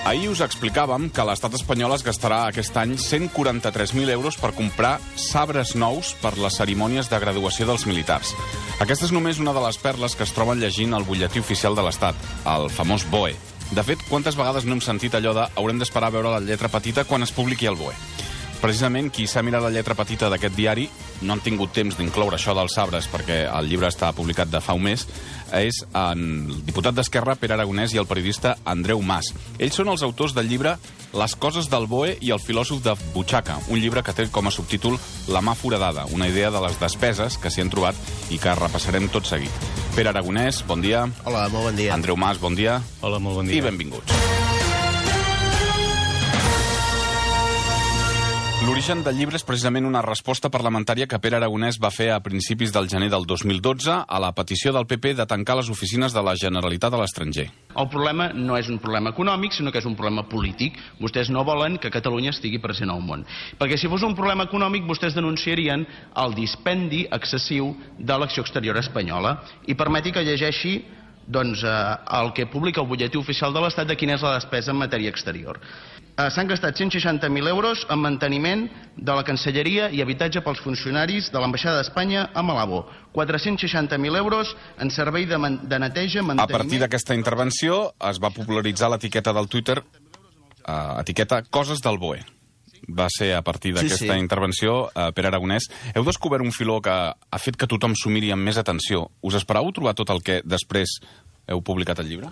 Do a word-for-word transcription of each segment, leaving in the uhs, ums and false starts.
Ahir us explicàvem que l'estat espanyol es gastarà aquest any cent quaranta-tres mil euros per comprar sabres nous per les cerimònies de graduació dels militars. Aquesta és només una de les perles que es troben llegint al butlletí oficial de l'Estat, el famós B O E. De fet, quantes vegades no hem sentit allò de haurem d'esperar a veure la lletra petita quan es publiqui el B O E? Precisament, qui s'ha mirat la lletra petita d'aquest diari, no han tingut temps d'incloure això dels sabres perquè el llibre està publicat de fa un mes, és el diputat d'Esquerra, Pere Aragonès, i el periodista Andreu Mas. Ells són els autors del llibre Les coses del B O E i el filòsof de butxaca, un llibre que té com a subtítol La mà foradada, una idea de les despeses que s'hi han trobat i que repassarem tot seguit. Pere Aragonès, bon dia. Hola, molt bon dia. Andreu Mas, bon dia. Hola, molt bon dia. I benvinguts. L'origen del llibre és precisament una resposta parlamentària que Pere Aragonès va fer a principis del gener del dos mil dotze a la petició del P P de tancar les oficines de la Generalitat a l'estranger. El problema no és un problema econòmic, sinó que és un problema polític. Vostès no volen que Catalunya estigui present al món. Perquè si fos un problema econòmic, vostès denunciarien el dispendi excessiu de l'acció exterior espanyola. I permeti que llegeixi doncs, eh, el que publica el butlletí oficial de l'Estat de quina és la despesa en matèria exterior. Eh, S'han gastat cent seixanta mil euros en manteniment de la Cancelleria i habitatge pels funcionaris de l'Ambaixada d'Espanya a Malabo. quatre-cents seixanta mil euros en servei de, de neteja, manteniment... A partir d'aquesta intervenció es va popularitzar l'etiqueta del Twitter, eh, etiqueta Coses del B O E. Va ser a partir d'aquesta sí, sí. intervenció, eh, Pere Aragonès. Heu descobert un filó que ha fet que tothom s'ho miri amb més atenció. Us esperàveu trobar tot el que després heu publicat al llibre?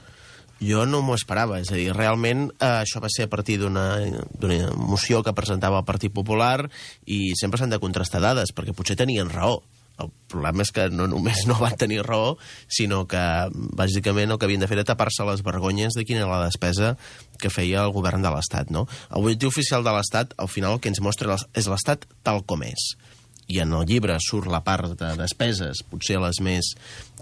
Jo no m'ho esperava, és a dir, realment eh, això va ser a partir d'una moció que presentava el Partit Popular i sempre s'han de contrastar dades, perquè potser tenien raó. El problema és que no només no van tenir raó, sinó que bàsicament el que havien de fer era tapar-se les vergonyes de quina era la despesa que feia el govern de l'Estat, no? El butlletí oficial de l'Estat, al final, el que ens mostra és l'Estat tal com és. I en el llibre surt la part de despeses, potser les més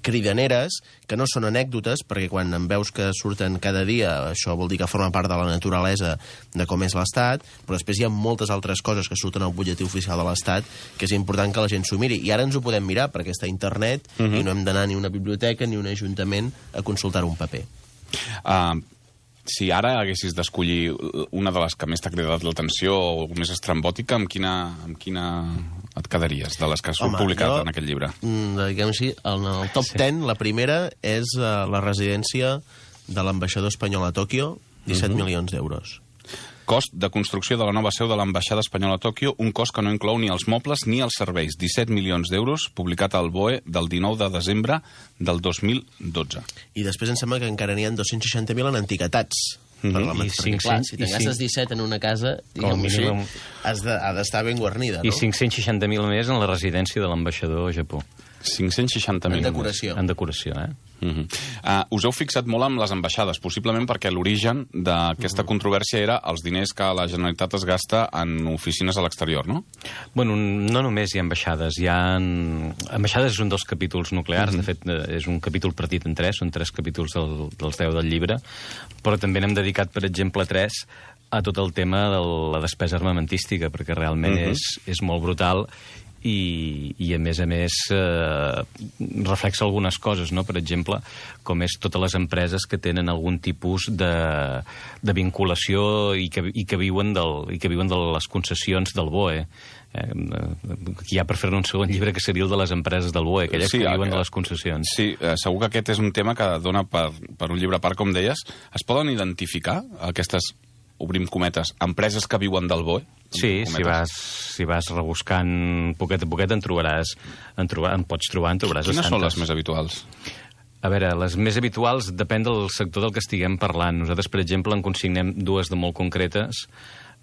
cridaneres, que no són anècdotes, perquè quan en veus que surten cada dia, això vol dir que forma part de la naturalesa de com és l'Estat, però després hi ha moltes altres coses que surten al butlletí oficial de l'Estat que és important que la gent s'ho miri. I ara ens ho podem mirar, perquè està a internet uh -huh. i no hem d'anar ni a una biblioteca ni a un ajuntament a consultar un paper. Uh, si ara haguessis d'escollir una de les que més t'ha cridat l'atenció o més estrambòtica, amb quina, amb quina et quedaries, de les que has publicat jo, en aquest llibre? Diguem així, en el top sí. ten, la primera és uh, la residència de l'ambaixador espanyol a Tòquio, disset uh -huh. milions d'euros. Cost de construcció de la nova seu de l'ambaixada espanyola a Tòquio, un cost que no inclou ni els mobles ni els serveis. disset milions d'euros, publicat al B O E del dinou de desembre del dos mil dotze. I després em sembla que encara n'hi ha dos-cents seixanta mil en antiguitats. Mm -hmm. I cinc, clar, si te'n gastes disset en una casa, diguem-ho així, has de, ha d'estar ben guarnida, no? I cinc-cents seixanta mil més en la residència de l'ambaixador a Japó. cinc-cents seixanta mil. En decoració. En decoració, eh? Uh -huh. uh, us heu fixat molt amb les ambaixades, possiblement perquè l'origen d'aquesta uh -huh. controvèrsia era els diners que la Generalitat es gasta en oficines a l'exterior, no? Bueno, no només hi ha ambaixades, hi ha... Ambaixades és un dels capítols nuclears, uh -huh. de fet és un capítol partit en tres, són tres capítols del, dels deu del llibre, però també n'hem dedicat, per exemple, tres a tot el tema de la despesa armamentística, perquè realment uh -huh. és, és molt brutal. I, i a més a més eh, reflexa algunes coses, no? Per exemple, com és totes les empreses que tenen algun tipus de, de vinculació i que, i, que viuen del, i que viuen de les concessions del B O E. Eh, hi ha per fer-ne un segon llibre que seria el de les empreses del B O E, aquelles sí, que viuen que, de les concessions. Sí, eh, segur que aquest és un tema que dona per, per un llibre a part, com deies. Es poden identificar aquestes, obrim cometes, empreses que viuen del B O E? Sí, si vas, si vas rebuscant poquet a poquet en trobaràs, en, trobar, en pots trobar, en trobaràs Quines bastantes. són les més habituals? A veure, les més habituals depèn del sector del que estiguem parlant. Nosaltres, per exemple, en consignem dues de molt concretes,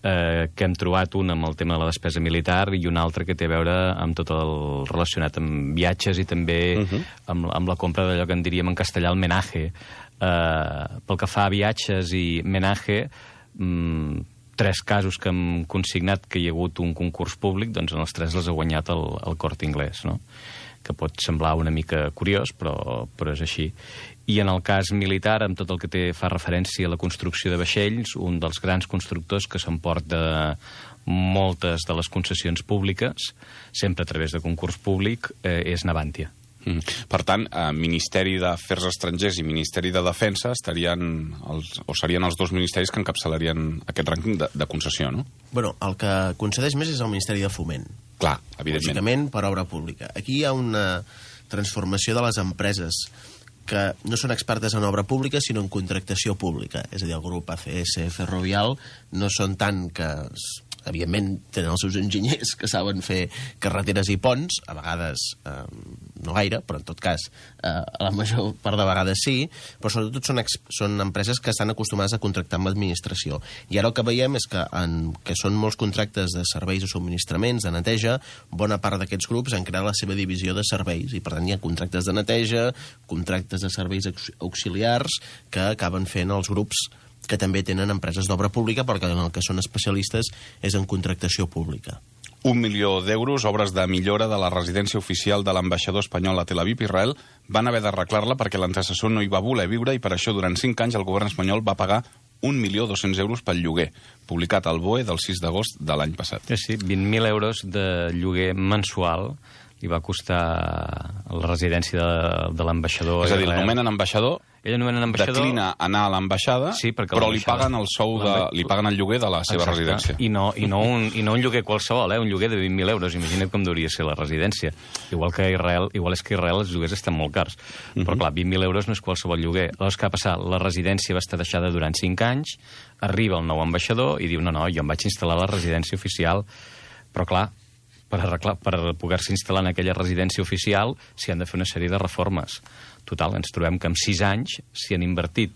eh, que hem trobat una amb el tema de la despesa militar i una altra que té a veure amb tot el relacionat amb viatges i també uh -huh. amb, amb la compra d'allò que en diríem en castellà el menaje. Eh, pel que fa a viatges i menaje, mmm, tres casos que hem consignat que hi ha hagut un concurs públic, doncs en els tres les ha guanyat el, el Corte Inglés, no? Que pot semblar una mica curiós, però, però és així. I en el cas militar, amb tot el que té, fa referència a la construcció de vaixells, un dels grans constructors que s'emporta moltes de les concessions públiques, sempre a través de concurs públic, eh, és Navantia. Mm. Per tant, eh, Ministeri d'Afers Estrangers i Ministeri de Defensa estarien els, o serien els dos ministeris que encapçalarien aquest rànquing de, de concessió, no? Bueno, el que concedeix més és el Ministeri de Foment. Clar, evidentment. Lògicament, per obra pública. Aquí hi ha una transformació de les empreses que no són expertes en obra pública, sinó en contractació pública. És a dir, el grup A C S Ferrovial no són tant que... evidentment tenen els seus enginyers que saben fer carreteres i ponts, a vegades eh, no gaire, però en tot cas eh, a la major part de vegades sí, però sobretot són, són empreses que estan acostumades a contractar amb l'administració. I ara el que veiem és que, en, que són molts contractes de serveis o subministraments, de neteja, bona part d'aquests grups han creat la seva divisió de serveis, i per tant hi ha contractes de neteja, contractes de serveis auxiliars que acaben fent els grups que també tenen empreses d'obra pública, perquè en el que són especialistes és en contractació pública. Un milió d'euros, obres de millora de la residència oficial de l'ambaixador espanyol a Tel Aviv, Israel, van haver d'arreglar-la perquè l'antecessor no hi va voler viure i per això durant cinc anys el govern espanyol va pagar un milió dos-cents euros pel lloguer, publicat al B O E del sis d'agost de l'any passat. Sí, sí, vint mil euros de lloguer mensual li va costar la residència de, de l'ambaixador. És a dir, l'anomenen ambaixador, ambaixador, declina anar a l'ambaixada, sí, però li paguen el sou de, li paguen el lloguer de la seva Exacte. residència. I no, i, no un, I no un lloguer qualsevol, eh? Un lloguer de vint mil euros. Imagina't com hauria ser la residència. Igual que a Israel, igual és que a Israel els lloguers estan molt cars. Uh-huh. Però clar, vint mil euros no és qualsevol lloguer. Llavors, què ha passat? La residència va estar deixada durant cinc anys, arriba el nou ambaixador i diu, no, no, jo em vaig instal·lar a la residència oficial. Però clar, per, arreglar, per poder-se instal·lar en aquella residència oficial s'hi han de fer una sèrie de reformes. Total, ens trobem que en sis anys s'hi han invertit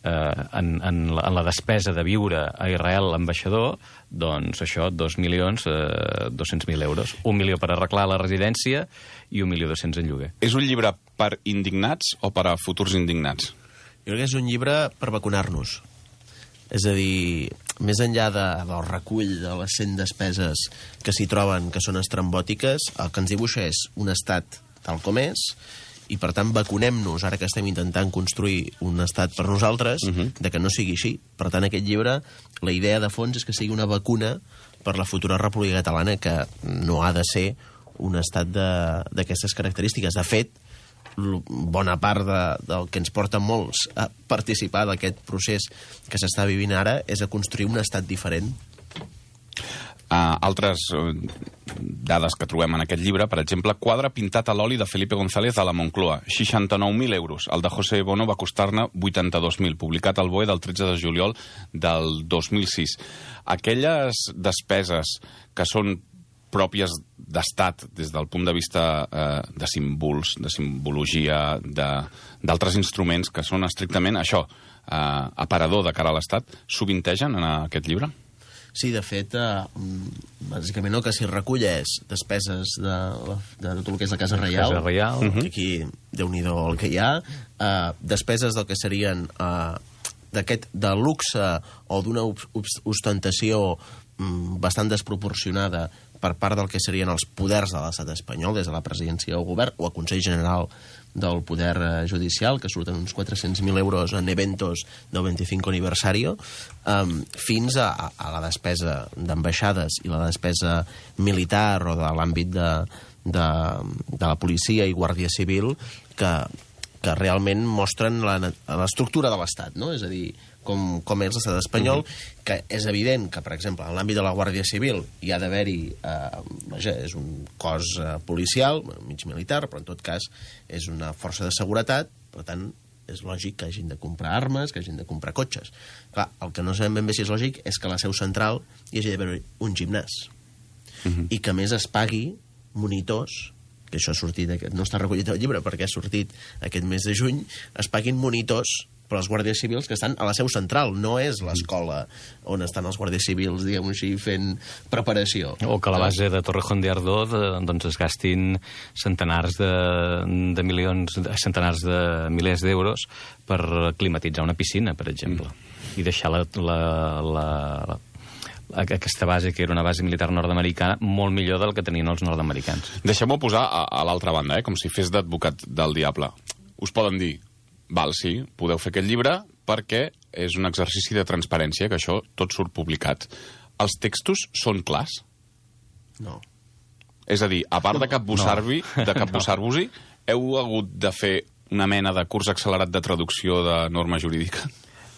eh, en, en, la, en la despesa de viure a Israel l'ambaixador, doncs això, dos milions, eh, dos-cents mil euros. Un milió per arreglar la residència i un milió dos-cents en lloguer. És un llibre per indignats o per a futurs indignats? Jo crec que és un llibre per vacunar-nos. És a dir, més enllà de, del recull de les cent despeses que s'hi troben, que són estrambòtiques, el que ens dibuixa és un estat tal com és, i per tant vacunem-nos, ara que estem intentant construir un estat per nosaltres, uh-huh. de que no sigui així. Per tant, aquest llibre, la idea de fons és que sigui una vacuna per la futura República Catalana, que no ha de ser un estat d'aquestes característiques. De fet, bona part de, del que ens porta molts a participar d'aquest procés que s'està vivint ara és a construir un estat diferent. Uh, altres uh, dades que trobem en aquest llibre, per exemple, quadre pintat a l'oli de Felipe González a la Moncloa, seixanta-nou mil euros. El de José Bono va costar-ne vuitanta-dos mil, publicat al B O E del tretze de juliol del dos mil sis. Aquelles despeses que són pròpies d'estat des del punt de vista eh, de símbols, de simbologia, d'altres instruments que són estrictament això, eh, aparador de cara a l'estat, sovintegen en aquest llibre? Sí, de fet, eh, bàsicament el que s'hi recull és despeses de, de tot el que és la Casa Reial, Casa Reial. Uh-huh. Que aquí, Déu-n'hi-do el que hi ha, eh, despeses del que serien eh, d'aquest de luxe o d'una ostentació mm, bastant desproporcionada per part del que serien els poders de l'estat espanyol, des de la presidència del govern o el Consell General del Poder Judicial, que surten uns quatre-cents mil euros en eventos del vint-i-cinc aniversario, um, fins a, a la despesa d'ambaixades i la despesa militar o de l'àmbit de, de, de la policia i Guàrdia Civil, que, que realment mostren l'estructura de l'Estat, no? És a dir, com, com és l'estat espanyol, uh-huh. que és evident que, per exemple, en l'àmbit de la Guàrdia Civil hi ha d'haver-hi, eh, vaja, és un cos eh, policial, mig militar, però en tot cas és una força de seguretat, per tant, és lògic que hagin de comprar armes, que hagin de comprar cotxes. Clar, el que no sabem ben bé si és lògic és que a la seu central hi hagi d'haver un gimnàs, uh-huh. i que a més es pagui monitors, que això ha sortit, no està recollit al llibre perquè ha sortit aquest mes de juny, es paguin monitors per als guàrdies civils que estan a la seu central, no és l'escola on estan els guàrdies civils, diguem-ho així, fent preparació. O que a la base de Torrejón de Ardoz de, doncs es gastin centenars de, de milions, centenars de milers d'euros per climatitzar una piscina, per exemple, mm. i deixar la, la, la, la aquesta base, que era una base militar nord-americana, molt millor del que tenien els nord-americans. Deixem-ho posar a, a l'altra banda, eh? Com si fes d'advocat del diable. Us poden dir, val, sí, podeu fer aquest llibre perquè és un exercici de transparència, que això tot surt publicat. Els textos són clars? No. És a dir, a part de capbussar-vos-hi, de capbussar-vos-hi, heu hagut de fer una mena de curs accelerat de traducció de norma jurídica?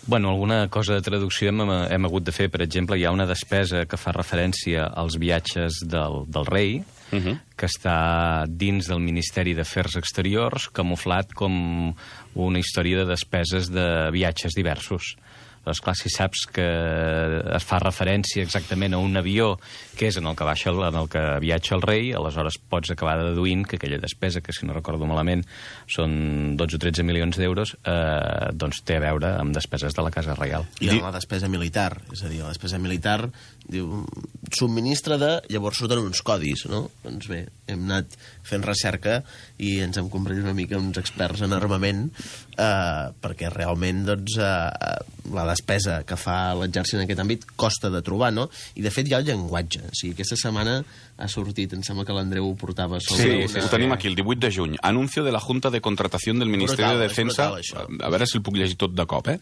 Bueno, alguna cosa de traducció hem, hem hagut de fer. Per exemple, hi ha una despesa que fa referència als viatges del, del rei, uh -huh. que està dins del Ministeri d'Afers Exteriors, camuflat com una història de despeses de viatges diversos. Doncs clar, si saps que es fa referència exactament a un avió que és en el que baixa, en el que viatja el rei, aleshores pots acabar deduint que aquella despesa, que si no recordo malament són dotze o tretze milions d'euros, eh, doncs té a veure amb despeses de la Casa Reial. I amb la despesa militar, és a dir, la despesa militar diu, subministra de... Llavors surten uns codis, no? Doncs bé, hem anat fent recerca i ens hem convertit una mica uns experts en armament, eh, perquè realment, doncs, eh, la despesa que fa l'exèrcit en aquest àmbit costa de trobar, no? I, de fet, hi ha el llenguatge. O sigui, aquesta setmana ha sortit, em sembla que l'Andreu ho portava sobre sí, una... Sí, ho tenim aquí, el divuit de juny. Anuncio de la Junta de Contratación del Ministerio brutal, de Defensa... Brutal, a veure si el puc llegir tot de cop, eh?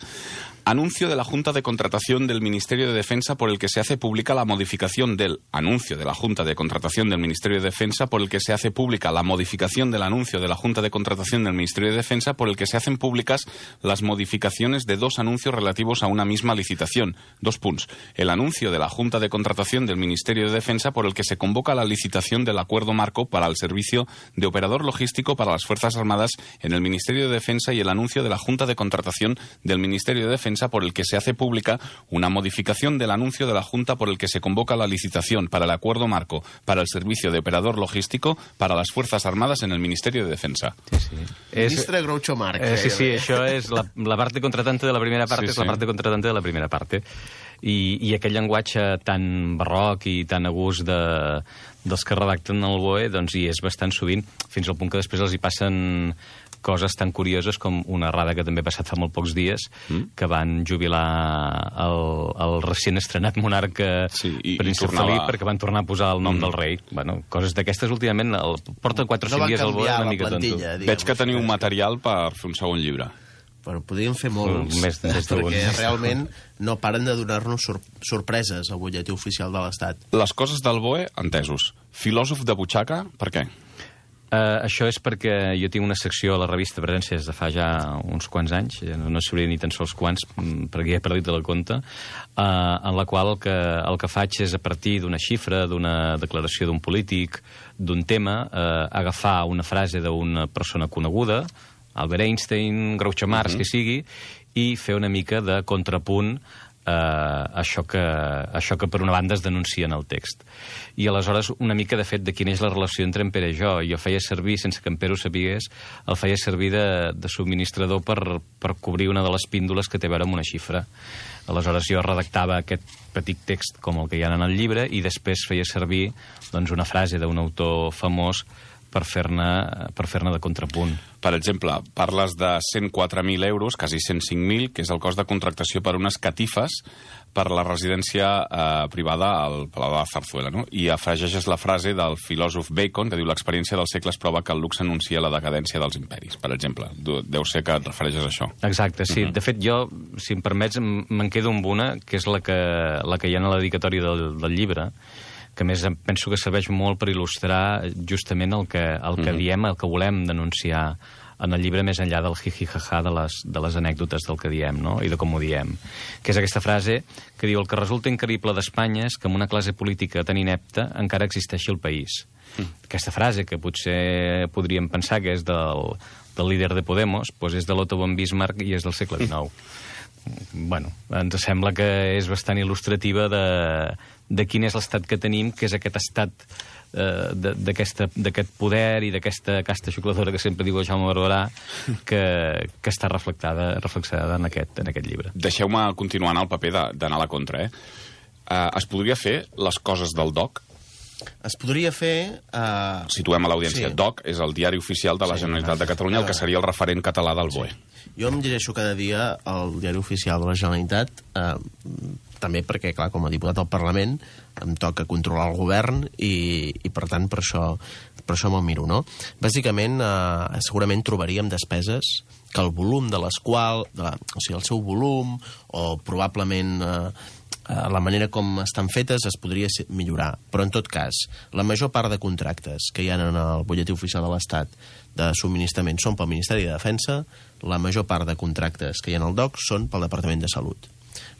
Anuncio de la Junta de Contratación del Ministerio de Defensa por el que se hace pública la modificación del anuncio de la Junta de Contratación del Ministerio de Defensa por el que se hace pública la modificación del anuncio de la Junta de Contratación del Ministerio de Defensa por el que se hacen públicas las modificaciones de dos anuncios relativos a una misma licitación. Dos puntos. El anuncio de la Junta de Contratación del Ministerio de Defensa por el que se convoca la licitación del acuerdo marco para el servicio de operador logístico para las Fuerzas Armadas en el Ministerio de Defensa y el anuncio de la Junta de Contratación del Ministerio de Defensa por el que se hace pública una modificación del anuncio de la Junta por el que se convoca la licitación para el acuerdo marco para el servicio de operador logístico para las Fuerzas Armadas en el Ministerio de Defensa. Sí, sí. Ministre Groucho Marx. Eh, sí, sí, això és la, la parte contratante de la primera part, sí, és sí. la parte contratante de la primera parte. I, i aquell llenguatge tan barroc i tan a gust de, dels que redacten el B O E, doncs hi és bastant sovint, fins al punt que després els hi passen coses tan curioses com una errada que també ha passat fa molt pocs dies, mm. que van jubilar el, el recient estrenat monarca sí, i, príncep tornava... Felip perquè van tornar a posar el nom mm. del rei. Bueno, coses d'aquestes últimament el, porta quatre o cinc no dies al B O E una mica tonto. Veig que teniu un material per fer un segon llibre. Però podríem fer molts, més, més perquè realment no paren de donar-nos sor sorpreses al butlletí oficial de l'Estat. Les coses del B O E, entesos. Filòsof de butxaca, per què? Uh, això és perquè jo tinc una secció a la revista Presència des de fa ja uns quants anys, no sabria ni tan sols quants, perquè ja he perdut el compte, uh, en la qual el que, el que faig és, a partir d'una xifra, d'una declaració d'un polític, d'un tema, uh, agafar una frase d'una persona coneguda, Albert Einstein, Groucho Marx, uh-huh. que sigui, i fer una mica de contrapunt Uh, això, que, això que per una banda es denuncia en el text. I aleshores una mica de fet de quina és la relació entre en Pere i jo. Jo feia servir, sense que en Pere ho sabigués, el feia servir de, de subministrador per, per cobrir una de les píndoles que té a veure amb una xifra. Aleshores jo redactava aquest petit text com el que hi ha en el llibre i després feia servir doncs, una frase d'un autor famós per fer-ne per fer-ne de contrapunt. Per exemple, parles de cent quatre mil euros, quasi cent cinc mil, que és el cost de contractació per unes catifes per la residència eh, privada al Palau de la Zarzuela, no? I afegeixes la frase del filòsof Bacon, que diu l'experiència dels segles prova que el luxe anuncia la decadència dels imperis, per exemple. Deu ser que et refereixes a això. Exacte, sí. Uh-huh. De fet, jo, si em permets, me'n quedo amb una, que és la que, la que hi ha a la dedicatòria del, del llibre, que a més penso que serveix molt per il·lustrar justament el que, el que mm. diem, el que volem denunciar en el llibre, més enllà del jiji-jaja de les, de les anècdotes del que diem, no? I de com ho diem. Que és aquesta frase que diu: el que resulta increïble d'Espanya és que amb una classe política tan inepta encara existeixi el país. Mm. Aquesta frase, que potser podríem pensar que és del, del líder de Podemos, doncs és de l'Otto von Bismarck i és del segle dinou. Bueno, ens sembla que és bastant il·lustrativa de, de quin és l'estat que tenim, que és aquest estat eh, d'aquest poder i d'aquesta casta xucladora que sempre diu el Jaume Barberà, que, que està reflectada, reflexada en aquest, en aquest llibre. Deixeu-me continuar en el paper d'anar a la contra, eh? Uh, es podria fer les coses del D O C? Es podria fer... Uh... Situem a l'audiència. Sí. D O C és el diari oficial de la sí, Generalitat de Catalunya, el que seria el referent català del B O E. Sí. Jo em llegeixo cada dia el diari oficial de la Generalitat, eh, també perquè, clar, com a diputat al Parlament em toca controlar el govern i, i per tant, per això, per això me'l miro, no? Bàsicament, eh, segurament trobaríem despeses que el volum de les quals... De la, o sigui, el seu volum, o probablement... Eh, la manera com estan fetes es podria millorar, però en tot cas, la major part de contractes que hi ha en el butlletí oficial de l'Estat de subministrament són pel Ministeri de Defensa, la major part de contractes que hi ha en el D O C són pel Departament de Salut.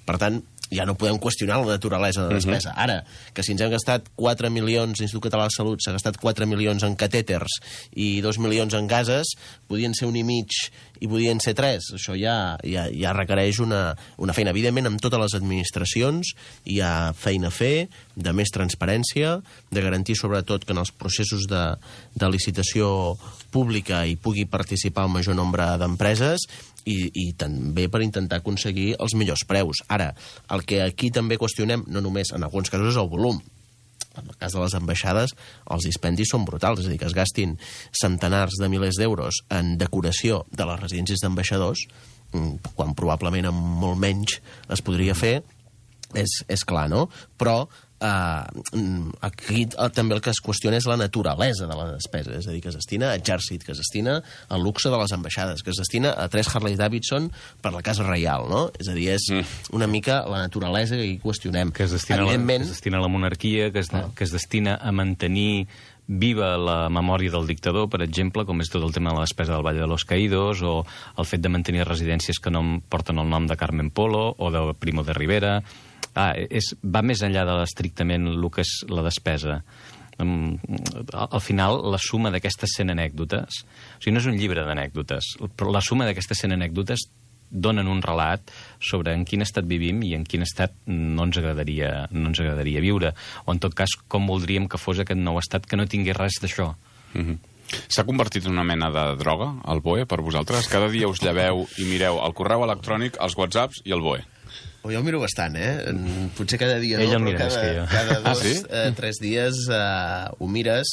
Per tant, ja no podem qüestionar la naturalesa de la despesa. Uh-huh. Ara, que si ens hem gastat quatre milions, l'Institut Català de Salut s'ha gastat quatre milions en catèters i dos milions en gases, podien ser un i mig i podien ser tres. Això ja, ja, ja requereix una, una feina. Evidentment, amb totes les administracions hi ha feina a fer, de més transparència, de garantir sobretot que en els processos de, de licitació pública hi pugui participar el major nombre d'empreses i, i també per intentar aconseguir els millors preus. Ara, el que aquí també qüestionem, no només en alguns casos, és el volum. En el cas de les ambaixades, els dispendis són brutals, és a dir, que es gastin centenars de milers d'euros en decoració de les residències d'ambaixadors, quan probablement amb molt menys es podria fer, és, és clar, no? Però eh, aquí també el que es qüestiona és la naturalesa de la despesa, és a dir, que es destina a exèrcit, que es destina al luxe de les ambaixades, que es destina a tres Harley Davidson per la Casa Reial, no? És a dir, és una mica la naturalesa que hi qüestionem. Que es destina, Evidentment... la, que es destina a la monarquia, que es, ah. que es destina a mantenir viva la memòria del dictador, per exemple, com és tot el tema de la despesa del Valle de los Caídos, o el fet de mantenir residències que no porten el nom de Carmen Polo o de Primo de Rivera. Ah, és, va més enllà de l'estrictament el que és la despesa. Um, al final, la suma d'aquestes cent anècdotes, o sigui, no és un llibre d'anècdotes, però la suma d'aquestes cent anècdotes donen un relat sobre en quin estat vivim i en quin estat no ens agradaria, no ens agradaria viure. O, en tot cas, com voldríem que fos aquest nou estat que no tingués res d'això. Mm-hmm. S'ha convertit en una mena de droga, el B O E, per vosaltres? Cada dia us lleveu i mireu el correu electrònic, els whatsapps i el B O E. Jo el miro bastant, eh? Potser cada dia Ell no, el mira però cada, cada dos, ah, sí? eh, tres dies eh, ho mires.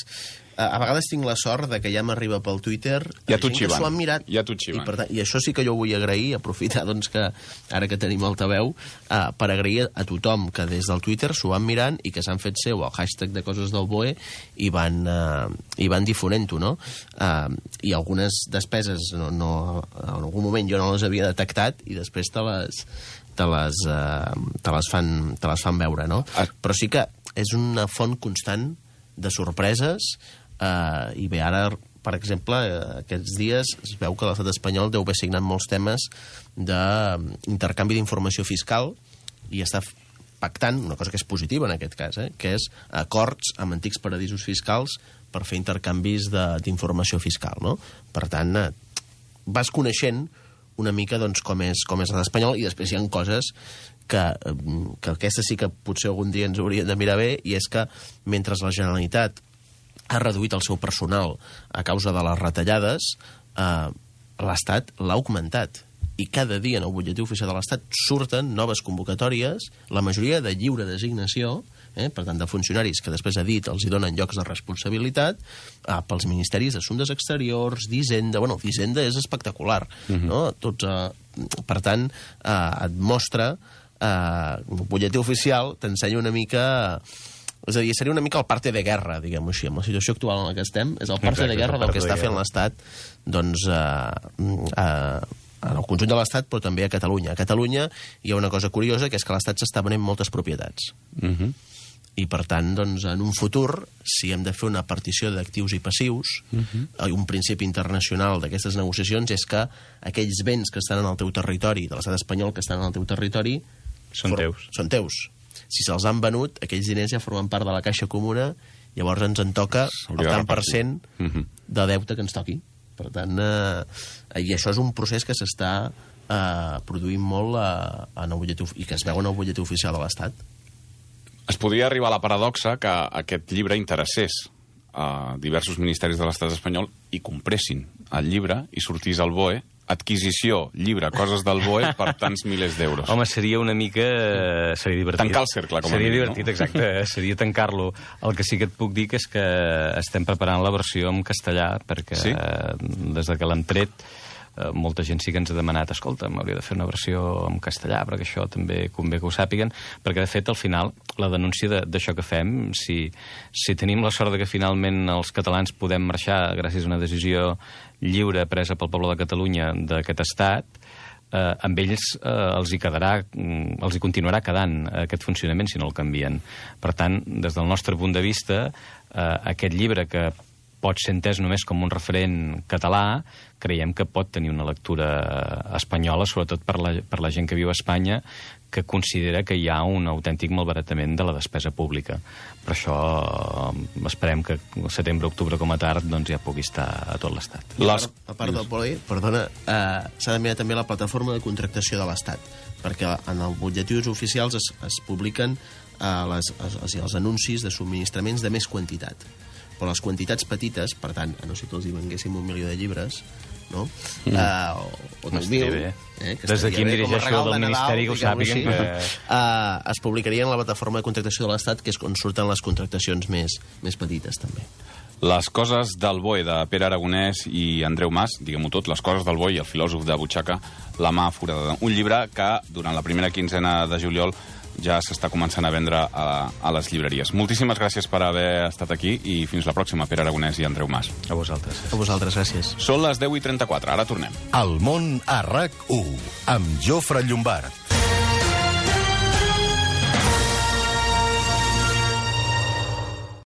A vegades tinc la sort de que ja m'arriba pel Twitter ja gent que s'ho han mirat. Ja t'ho xiven. I, per tant, I això sí que jo vull agrair, aprofitar doncs, que ara que tenim altaveu, uh, per agrair a tothom que des del Twitter s'ho van mirant i que s'han fet seu el hashtag de coses del B O E i van, uh, i van difonent-ho, no? Uh, I algunes despeses no, no, en algun moment jo no les havia detectat i després te les, te les, uh, te les, fan, te les fan veure, no? Ah. Però sí que és una font constant de sorpreses. Uh, i bé, ara, per exemple, uh, aquests dies es veu que l'estat espanyol deu haver signat molts temes d'intercanvi d'informació fiscal i està pactant, una cosa que és positiva en aquest cas, eh, que és acords amb antics paradisos fiscals per fer intercanvis d'informació fiscal, no? Per tant, uh, vas coneixent una mica doncs, com és, com és l'estat espanyol i després hi ha coses que, que aquestes sí que potser algun dia ens haurien de mirar bé, i és que mentre la Generalitat ha reduït el seu personal a causa de les retallades, eh, l'Estat l'ha augmentat. I cada dia en el butlletí oficial de l'Estat surten noves convocatòries, la majoria de lliure designació, eh, per tant, de funcionaris que després ha dit els hi donen llocs de responsabilitat, eh, pels ministeris d'Assumptes Exteriors, d'Hisenda... Bueno, d'Hisenda és espectacular, uh-huh. no? Tots, eh, per tant, eh, et mostra... Eh, el butlletí oficial t'ensenya una mica... És a dir, seria una mica el parte de guerra, diguem-ho així, amb la situació actual en la que estem, és el parte Exacte, de guerra del que està fent l'Estat, doncs, eh, eh, en el conjunt de l'Estat, però també a Catalunya. A Catalunya hi ha una cosa curiosa, que és que l'Estat s'està venent moltes propietats. Uh-huh. I, per tant, doncs, en un futur, si hem de fer una partició d'actius i passius, uh-huh. un principi internacional d'aquestes negociacions és que aquells béns que estan en el teu territori, de l'estat espanyol que estan en el teu territori, són teus. Són teus. Si se'ls han venut, aquells diners ja formen part de la caixa comuna, llavors ens en toca el tant per cent de deute que ens toqui. Per tant, eh, i això és un procés que s'està eh, produint molt eh, en el butlletí, i que es veu en el butlletí oficial de l'Estat. Es podria arribar a la paradoxa que aquest llibre interessés a diversos ministeris de l'Estat espanyol i compressin el llibre i sortís al B O E adquisició, llibre, coses del B O E per tants milers d'euros. Home, seria una mica... Seria divertit. Tancar el cercle, com a Seria mínim, divertit, no? exacte. Seria tancar-lo. El que sí que et puc dir que és que estem preparant la versió en castellà, perquè sí? des de que l'hem tret, molta gent sí que ens ha demanat, escolta, m'hauria de fer una versió en castellà, perquè això també convé que ho sàpiguen, perquè, de fet, al final, la denúncia d'això que fem, si, si tenim la sort de que finalment els catalans podem marxar gràcies a una decisió lliure presa pel poble de Catalunya d'aquest estat, eh, amb ells eh, els hi quedarà, els hi continuarà quedant aquest funcionament si no el canvien. Per tant, des del nostre punt de vista, eh, aquest llibre que pot ser entès només com un referent català, creiem que pot tenir una lectura espanyola, sobretot per la, per la gent que viu a Espanya, que considera que hi ha un autèntic malbaratament de la despesa pública. Per això eh, esperem que setembre-octubre com a tard doncs, ja pugui estar a tot l'Estat. Les... A part del poli, perdona, eh, s'ha de mirar també la plataforma de contractació de l'Estat, perquè en els butlletins oficials es, es publiquen eh, les, els, els anuncis de subministraments de més quantitat. Però les quantitats petites, per tant, a no ser que els hi venguéssim un milió de llibres, no? Mm. Uh, o, o nou mil, eh, des d'aquí em dirigeixo del Ministeri que ho sàpiguen que... Uh, es publicaria en la plataforma de contractació de l'Estat, que és on surten les contractacions més, més petites, també. Les coses del B O E, de Pere Aragonès i Andreu Mas, diguem-ho tot, les coses del B O E i el filòsof de butxaca, La mà foradada. Un llibre que, durant la primera quinzena de juliol, ja s'està començant a vendre a, a les llibreries. Moltíssimes gràcies per haver estat aquí i fins la pròxima, Pere Aragonès i Andreu Mas. A vosaltres. A vosaltres, gràcies. Són les deu i trenta-quatre, ara tornem. El món a RAC u, amb Jofre Llombard.